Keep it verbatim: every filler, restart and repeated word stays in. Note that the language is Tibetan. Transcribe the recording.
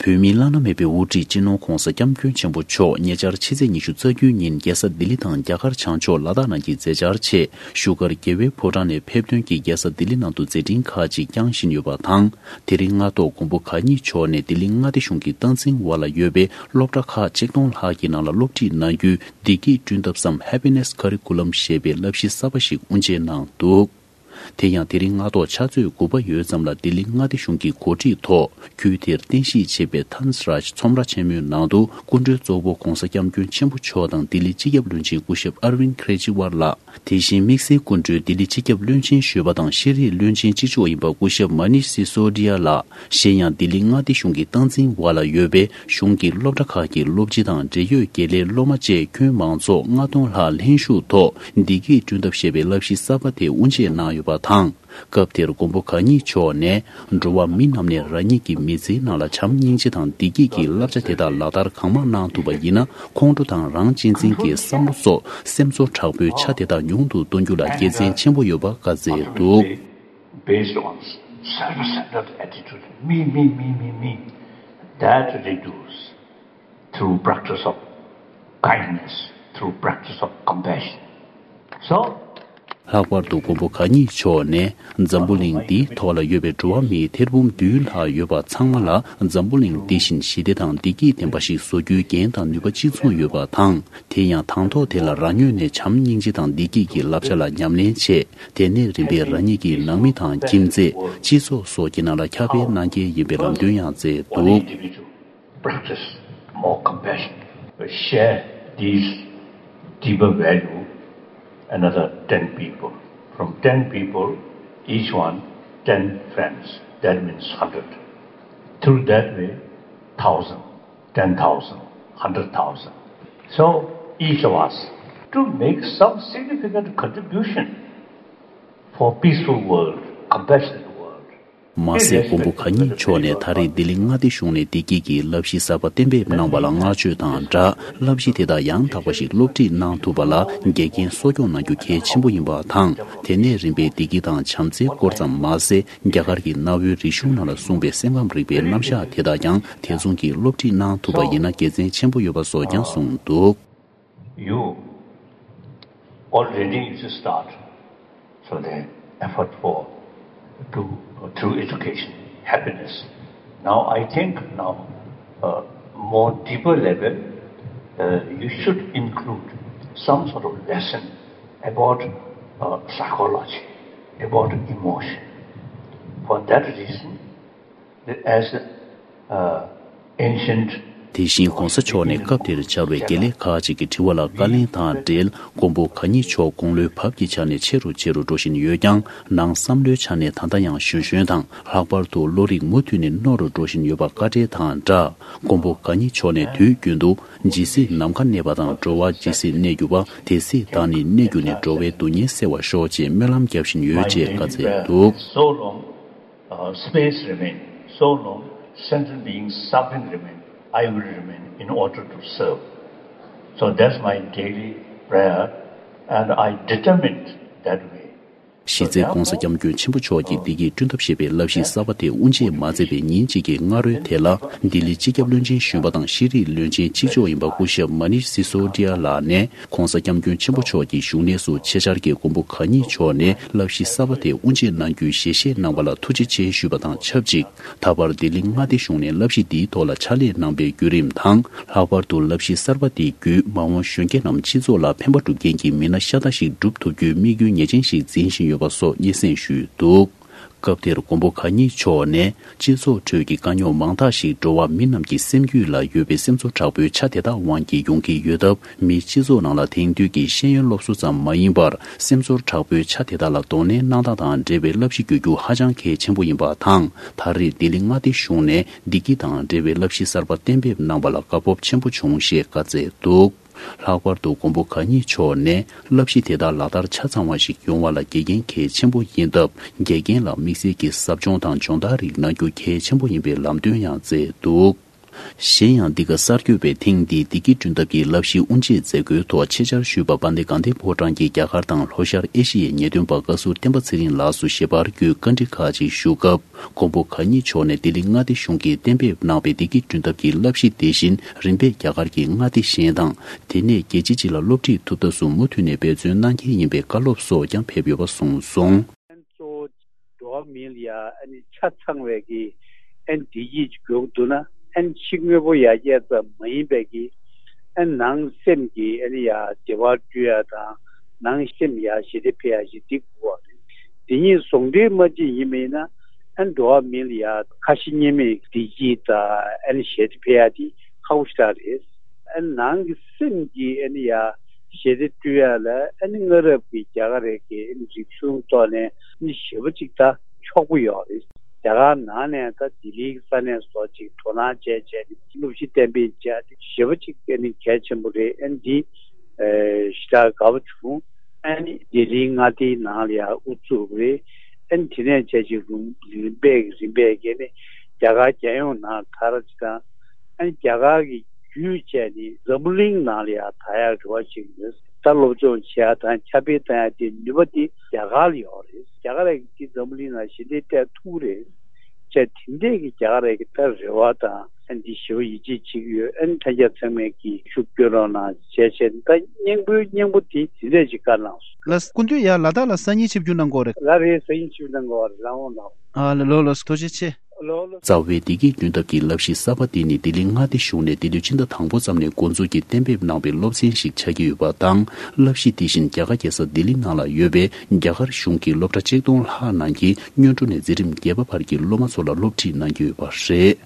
བོད་མིའི་བླ་ན་མེད་པའི་དབུ་ཁྲིད་སྤྱི་ནོར་༧གོང་ས་༧སྐྱབས་མགོན་ཆེན་པོ་མཆོག་ཉེ་ཆར་ཕྱི་ཚེས་ཉི་ཤུ་རྩ་བརྒྱད་ཉིན་རྒྱལ་ས་ལྡི་ལི་དང་རྒྱ་གར་བྱང་ཕྱོགས་ལ་དྭགས་ནང་གི་མཛད་འཆར་ཆེད་བཞུགས་སྒར་རྒྱལ་བའི་ཕོ་བྲང་ནས་ཕེབས་ཐོན་གྱིས་རྒྱལ་ས་ལྡི་ལི་ནང་དུ་མཛད་འཕྲིན་ཁག་ཅིག་བསྐྱངས་བཞིན་ཡོད་པ་དང་། དེ་རིང་སྔ་ཐོག་མགོན་པོ་གང་ཉིད་མཆོག་ནས་ལྡི་ལི་མངའ་སྡེ་གཞུང་གི་སྟངས་འཛིན་འོག་ལ་ཡོད་པའི་སློབ་གྲྭ་ཁག་ཆིག་སྟོང་ལྷག་གི་ནང་ལ་སློབ་ཁྲིད་གནང་རྒྱུའི་བདེ་སྐྱིད་བསྐྲུན་ཐབས་སམ་Happiness Curriculum ཞེས་པའི་བསླབ་གཞི་གསར་པ་ཞིག་དབུ་འབྱེད་གནང་འདུག་དེ་ཡང་དེ་རིང་སྔ་དྲོ་ཕྱག་ཚོད་དགུ་པ་ཡོལ་ཙམ་ལ་ལྡི་ལི་མངའ་སྡེ་གཞུང་གི་གོ་སྒྲིག་ཐོག་ཁུལ་དེར་རྟེན་གཞི་བྱས་པའི་ཐཱན་སི་རཱཇ་ཚོམས་ར་ཆེན་མོའི་ནང་དུ་སྐུ་མགྲོན་གཙོ་བོ་༧གོང་ས་༧སྐྱབས་མགོན་ཆེན་པོ་མཆོག་དང་ལྡི་ལི་སྤྱི་ཁྱབ་བློན་ཆེན་སྐུ་ཞབས་ཨར་ཝིན་ཁེ་ཇི་ཝལ་ལགས། དེ་བཞིན་དམིགས་བསལ་སྐུ་མགྲོན་ལྡི་ལི་སྤྱི་ཁྱབ་བློན་ཆེན་གཞོན་པ་དང་ཤེས་རིག་བློན་ཆེན་གཅིག་ལྕོགས་ཡིན་པ་སྐུ་ཞབས་མ་ནིཤ་སི་སོ་ཌི་ཡ་ལགས། གཞན་ཡང་ལྡི་ལི་མངའ་སྡེ་གཞུང་གི་སྟངས་འཛིན་འོག་ལ་ཡོད་པའི་གཞུང་གི་སློབ་གྲྭ་ཁག་གི་སློབ་སྤྱི་དང་འབྲེལ་ཡོད་དགེ་ལས་སློབ་མ་བཅས་ཁྱོན་མང་ཚོགས་ལྔ་སྟོང་ལྷག་ལྷན་ཞུགས་ཐོག་བདེ་སྐྱིད་བསྐྲུན་ཐབས་ཞེས་པའི་བསླབ་གཞི་གསར་པ་དེ་དབུ་འབྱེད་གནང་ཡོད་པ་དང་། སྐབས་དེར་མགོན་པོ་གང་ཉིད་མཆོག་ནས་འགྲོ་བ་མི་རྣམས་ནས་རང་ཉིད་ཀྱི་མི་ཚེའི་ནང་ལ་བྱམས་སྙིང་རྗེ་དང་བདེ་སྐྱིད་ཀྱི་བསླབ་བྱ་དེ་དག་ལག་བསྟར་གང་མང་གནང་ཐུབ་པ་ཡིན་ན། ཁོང་ཁྲོ་དང་རང་གཅེས་འཛིན་གྱི་བསམ་བློ་སོགས་སེམས་ཚོར་དྲག་པོའི་ཆ་དེ་དག་ཉུང་དུ་གཏོང་རྒྱུ་ལ་དགེ་མཚན་ཆེན་པོ་ཡོད་པ་བཀའ་སྩལ་འདུག Based on self-centered attitude, me, me, me, me, me, that reduce through practice of kindness, through practice of compassion. So, ལྷག་པར་དུ་མགོན་པོ་གང་ཉིད་མཆོག་ནས་འཛམ་བུ་གླིང་འདིའི་ཐོག་ལ་ཡོད་པའི་འགྲོ་བ་མིའི་ཐེར་འབུམ་བདུན་ལྷག་ཡོད་པ་ཚང་མ་ལ་འཛམ་བུ་གླིང་འདི་བཞིན་ཞི་བདེ་དང་བདེ་སྐྱིད་ལྡན་པ་ཞིག་བཟོ་རྒྱུའི་འགན་དང་ནུས་པ་གཅིག་མཚུངས་ཡོད་པ་དང་། དེ་ཡང་དང་ཐོག་དེ་ལ་རང་ངོས་ནས་བྱམས་སྙིང་རྗེ་དང་བདེ་སྐྱིད་ཀྱི་བསླབ་བྱ་ལ་ཉམས་ལེན་བྱས། དེ་ནས་རིམ་པས་རང་ཉིད་ཀྱི་ནང་མི་དང་ཁྱིམ་མཚེས། སྤྱི་ཚོགས་སོགས་ཀྱི་ནང་ལ་ཁྱབ་སྤེལ་གནང་གལ་ཡིན་པའི་ལམ་སྟོན་ཡང་མཛད་འདུག Practice more compassion. Share these deeper value another ten people. From ten people, each one ten friends. That means hundred. Through that way, thousand, ten thousand, hundred thousand. So each of us to make some significant contribution for peaceful world, compassionate world. མ་ཟད་མགོན་པོ་གང་ཉིད་མཆོག་ནས་ད་རེས་ལྡི་ལི་མངའ་སྡེ་གཞུང་ནས་བདེ་སྐྱིད་ཀྱི་བསླབ་གཞི་གསར་པ་གཏན་འབེབས་གནང་བ་ལ་བསྔགས་བརྗོད་དང་སྦྲགས། བསླབ་གཞི་དེ་དག་ཡང་དག་པ་ཞིག་སློབ་ཁྲིད་གནང་ཐུབ་པ་ལ་འགལ་རྐྱེན་གསོ་སྐྱོང་གནང་རྒྱུ་གལ་ཆེན་པོ་ཡིན་པ་དང་། དེ་ནས་རིམ་པས་བདེ་སྐྱིད་དང་བྱམས་བརྩེའི་སྐོར་ཙམ་མ་ཟད། རྒྱ་གར་གྱི་གནའ་བོའི་རིག་གཞུང་ནང་ལ་གསུངས་པའི་སེམས་ཁམས་རིག་པའི་རྣམ་གཞག་དེ་དག་ཀྱང་དེ་མཚུངས་ཀྱིས་སློབ་ཁྲིད་གནང་ཐུབ་པ་ཡིན་ན་དགེ་མཚན་ཆེན་པོ་ཡོད་པ་སོགས་ཀྱང་གསུངས་འདུག You already you should start. So the effort for to through education, happiness. Now I think now uh, more deeper level, uh, you should include some sort of lesson about uh, psychology, about emotion. For that reason, as uh, ancient དེ་བཞིན་གོང་ས་མཆོག་ནས་སྐབས་དེར་བཅར་བའི་དགེ་ལས་ཁག་ཅིག་གི་དྲི་བ་ལ་བཀའ་ལན་དང་འབྲེལ། མགོན་པོ་གང་ཉིད་མཆོག་དགུང་ལོའི་བབ་ཀྱི་ཆ་ནས་ཆེ་རུ་ཆེ་རུ་འགྲོ་བཞིན་ཡོད་ཀྱང་། ནང་བསམ་བློའི་ཆ་ནས་ད་ལྟ་ཡང་གཞོན་གཞོན་དང་། ལྷག་པར་དུ་བློ་རིག་མུ་མཐུད་ནས་རྣོ་རུ་འགྲོ་བཞིན་ཡོད་པ་བཀའ་འགྲེལ་དང་སྦྲགས། མགོན་པོ་གང་ཉིད་མཆོག་ནས་དུས་རྒྱུན་དུ་ཇི་སྲིད་ནམ་མཁའ་གནས་པ་དང་། འགྲོ་བ་ཇི་སྲིད་གནས་གྱུར་པ། དེ་སྲིད་བདག་ནི་གནས་གྱུར་ནས། འགྲོ་བའི་སྡུག་བསྔལ་སེལ་བར་ཤོག་ཅེས་སྨོན་ལམ་བརྒྱབ་བཞིན་ཡོད་ཅེས་བཀའ་སྩལ་འདུག So long, uh, space remain. So long, sentient beings, suffering remain. I will remain in order to serve. So that's my daily prayer, and I determined that way. གཞི་རྩའི་གོང་ས་སྐྱབས་མགོན་ཆེན་པོ་མཆོག་གིས་བདེ་སྐྱིད་བསྐྲུན་ཐབས་ཞེས་པའི་བསླབ་གཞི་གསར་པ་དེ་དབུ་འབྱེད་མ་མཛད་པའི་ཉིན་གཅིག་གི་སྔ་རོལ་དེ་ལ། ལྡི་ལི་སྤྱི་ཁྱབ་བློན་ཆེན་གཞོན་པ་དང་ཤེས་རིག་བློན་ཆེན་གཅིག་ལྕོགས་ཡིན་པ་སྐུ་ཞབས་མ་ནིཤ་སི་སོ་ཌི་ཡ་ལགས་ནས། གོང་ས་སྐྱབས་མགོན་ཆེན་པོ་མཆོག་གི་བཞུགས་གནས་སུ་ཆེད་བཅར་གྱིས་མགོན་པོ་གང་ཉིད་མཆོག་ནས་བསླབ་གཞི་གསར་པ་དེ་དབུ་འབྱེད་གནང་རྒྱུའི་ཞལ་བཞེས་གནང་བ་ལ་ཐུགས་རྗེ་ཆེ་ཞུས་པ་དང་ཆབས་ཅིག་ད་བར་ལྡི་ལི་མངའ་སྡེ་གཞུང་ནས་བསླབ་གཞི་འདིའི་ཐོག་ལ་ཕྱག་ལས་གནང་པའི་བརྒྱུད་རིམ་དང་། ལྷག་པར་དུ་བསླབ་གཞི་གསར་པ་འདི་བརྒྱུད་མ་འོངས་གཞོན་སྐྱེས་རྣམས་སྤྱི་ཚོགས་ལ་ཕན་པ་སྒྲུབ་མཁན་གྱི་མི་སྣ་ཤ་སྟག་ཞིག་སྒྲུབ་ཐུབ་རྒྱུའི་དམིགས་ཡུལ་ངེས་ཅན་ཞིག་འཛིན་བཞིན་ཡོད་པ་སོགས་སྙན་སེང་ཞུས་འདུག་སྐབས་དེར་མགོན་པོ་གང་ཉིད་མཆོག་ནས། སྤྱི་ཚོགས་ཁྲོད་ཀྱི་དཀའ་རྙོག་མང་དག་ཞིག་འགྲོ་བ་མི་རྣམས་ཀྱི་སེམས་རྒྱུད་ལ་ཡོད་པའི་སེམས་ཚོར་དྲག་པོའི་ཆ་དེ་དག་དབང་གིས་ཡོང་གི་ཡོད་སྟབས། མིའི་སྤྱི་ཚོགས་ནང་ལ་དེང་དུས་ཀྱི་ཤེས་ཡོན་སློབ་གསོ་ཙམ་མ་ཡིན་པར། སེམས་ཚོར་དྲག་པོའི་ཆ་དེ་དག་ལ་གདོང་ལེན་གནང་སྟངས་དང་འབྲེལ་བའི་བསླབ་གཞི་དགོས་རྒྱུ་ཧ་ཅང་གལ་ཆེན་པོ་ཡིན་པ་དང་། ད་རེས་ལྡི་ལི་མངའ་སྡེ་གཞུང་ནས་བདེ་སྐྱིད་དང་འབྲེལ་བའི་བསླབ་གཞི་གསར་པ་གཏན་འབེབས་གནང་བ་ལ་དགའ་སྤོབས་ཆེན་པོ་བྱུང་ཞེས་བཀའ་སྩལ་འདུག་ལྷག་པར་དུ་མགོན་པོ་གང་ཉིད་མཆོག་ནས་བསླབ་གཞི་དེ་དག་ལག་བསྟར་ཆ་ཚང་བ་ཞིག་ཡོང་བ་ལ་དགེ་རྒན་གལ་ཆེན་པོ་ཡིན་སྟབས། དགེ་རྒན་ལ་དམིགས་བསལ་གྱི་ཟབ་སྦྱོང་དང་སྦྱོང་བརྡར་རིགས་གནང་རྒྱུ་གལ་ཆེན་པོ་ཡིན་པའི་ལམ་སྟོན་ཡང་མཛད་འདུག་གཞན་ཡང་འདི་ག་གསར་འགོད་པས་ཐེངས་འདིའི་བདེ་སྐྱིད་བསྐྲུན་ཐབས་ཀྱི་བསླབ་གཞིའི་དབུ་འབྱེད་མཛད་སྒོའི་ཐོག་ཆེད་བཅར་ཞུས་པ་དཔལ་ལྡན་དགའ་ལྡན་ཕོ་བྲང་གི་རྒྱ་གར་དང་ལྷོ་ཤར་ཨེ་ཤི་ཡའི་ཉེས་དོན་པ་བཀའ་ཟུར་བསྟན་པ་ཚེ་རིང་ལགས་སུ་ཞལ་པར་བརྒྱུད་བཀའ་འདྲི་ཁག་ཅིག་ཞུ་སྐབས། མགོན་པོ་གང་ཉིད་མཆོག་ནས་ལྡི་ལི་མངའ་སྡེ་གཞུང་གིས་གཏན་འབེབས་གནང་བའི་བདེ་སྐྱིད་བསྐྲུན་ཐབས་ཀྱི་བསླབ་གཞི་དེ་བཞིན་རིམ་པས་རྒྱ་གར་གྱི་མངའ་སྡེ་གཞན་དང་། དེ་ནས་རྒྱལ་སྤྱི་སྤྱི་ལ་སློབ་ཁྲིད་ཐུབ་ཐབས་སུ་མུ་མཐུད་ནས་འབད་བརྩོན་གནང་གལ་ཡིན་པའི་བཀའ་སློབ་སོགས་ཀྱང་ཕེབས་ཡོད་པ་གསུངས་སོང་། ཨན་གཙོ་བོ་འགྲོ་བ་མི་ལ་ཡ་ཨ་ནི་ཆ་ཚང་བའི་གི་ཨན་བདེ་སྐྱིད་ཅིག་ཡོང་འདུག་ན། ཨན་ཕྱི་དངོས་པོ་ཡར་རྒྱས་ཙམ་མ་ཡིན་པའི་གི་ཨན་ནང་སེམས་ཀྱི་ཨ་ནི་ཡ་བདེ་བ་བསྐྲུན་ཡ་དང་། ནང་སེམས་ཡ་ཞི་བདེ་འཕེལ་ཡ་ཞིག་འདི་དགོས་པ་རེད། དེ་གཉིས་ཟུང་འབྲེལ་མ་བྱེད་ཡིན་མིན་ན། ཨན་འགྲོ་བ་མི་ལ་ཡ་ཁ་ཞེ་གཉིས་མེད་བདེ་སྐྱིད་དང་ཨན་ཞི་བདེ་འཕེལ་ཡ་དེ་ཁག་པོ་ཞེ་དྲག་རེད། ཨན་ནང་གི་སེམས་ཀྱི་ཨན་ཡ་ཞི་བདེ་བསྐྲུན་ཡ་ལ་ཨན་སྔ་རབས་ཀྱི་རྒྱ་གར་རིག་གཞུང་ཐོག་ནས་ཨན་ཞེ་པོ་ཅིག་ད་ཕྱོགས་པོ་ཡོད་རེད། རྒྱ་གར་ནང་ནས་ད་ལྡི་ལིའི་ས་གནས་སོགས་ཅིག་དོ་སྣང་བྱས་བྱས་ནས་སློབ་གཞི་གཏན་འབེབས་བྱས་ཏེ་ཞེ་པོ་ཅིག་ཨ་ནི་གལ་ཆེན་པོ་རེད། ཨ་ནི་འདི་ཞེ་དྲག་དགའ་པོ་བྱུང་། ཨ་ནི་ལྡི་ལིའི་མངའ་སྡེའི་ནང་ལ་ཡང་དབུ་བཙུགས་རེད། ཨ་ནི་དེ་ནས་བྱས་ཅིག་རུམ་རིམ་པས་རིམ་པས་ཀྱི་ནི་རྒྱ་གར་རྒྱལ་ཡོངས་ནང་དར་ཅིག་དང་། ཨ་ནི་རྒྱ་གར་གྱི་བརྒྱུད་བྱས་ནི་འཛམ་བུ་གླིང་ནང་ལ་ཡང་དར་ཡག་རེ་བ་ཞིག་ཡོད། ད་སློབ་སྦྱོང་བྱེད་ཡག་དང་ཁྱབ་སྤེལ་གཏོང་ཡག་དེ་ནུས་པ་དེ་རྒྱ་གར་ལ་ཡོད་རེད། རྒྱ་གར་ར་གི་འཛམ་བུ་གླིང་ལ་ཞི་བདེ་སྤྲད་ཐུབ་རེད། བྱས་དེ་འདྲས་ཀྱི་རྒྱ་གར་ར་གི་ད་རེ་བ་དང་ཨ་འདི་ཞེ་པོ་ཡིད་ཆེས་བྱེད་ཀྱི་ཡོད། ཨ་ནི་ལྷན་རྒྱས་ཚང་མས་ཀྱི་ཤུགས་སྐྱོན་རོགས་གནང་བྱས་བྱས་ད་སྙིང་པོའི་སྙིང་པོ་དེ་དེ་འདྲས་ཀྱི་བཀའ་གནང་སོང་། ལགས་སོ། སྐུ་མདུན་ཡར་ལ་དྭགས་ལ་སང་ཉིན་ཆིབས་བསྒྱུར་གནང་དགོས་རེད། ལ་རེད། སང་ཉིན་ཆིབས་བསྒྱུར་གནང་དགོས་རེད། ལགས་འོང་ལགས་འོང་། ཨ་ལ་ལོ་ལགས་སོ། ཐུགས་རྗེ་ཆེ། ལོ་ལོ། རྩ་བའི་བདེ་སྐྱིད་བསྐྲུན་ཐབས་ཀྱི་བསླབ་གཞི་གསར་པ་དེ་ནི་ལྡི་ལི་མངའ་སྡེ་གཞུང་ནས་འདི་ལོའི་ཕྱི་ཟླ་དང་པོ་ཙམ་ནས་འགོ་འཛུགས་ཀྱིས་གཏན་འབེབས་གནང་བའི་སློབ་ཚན་ཞིག་ཆགས་ཀྱི་ཡོད་པ་དང་། བསླབ་གཞི་དེ་བཞིན་རྒྱ་གར་རྒྱལ་ས་ལྡི་ལི་ནང་ལ་ཡོད་པའི་རྒྱ་གར་གཞུང་གི་སློབ་གྲྭ་ཆིག་སྟོང་ལྷག་ནང་གི་སྔོན་འགྲོ་ནས་འཛིན་རིམ་བརྒྱད་པ་བར་གྱི་སློབ་མ་ཚོ་ལ་སློབ་ཁྲིད་གནང་གི་ཡོད་པ་རེད།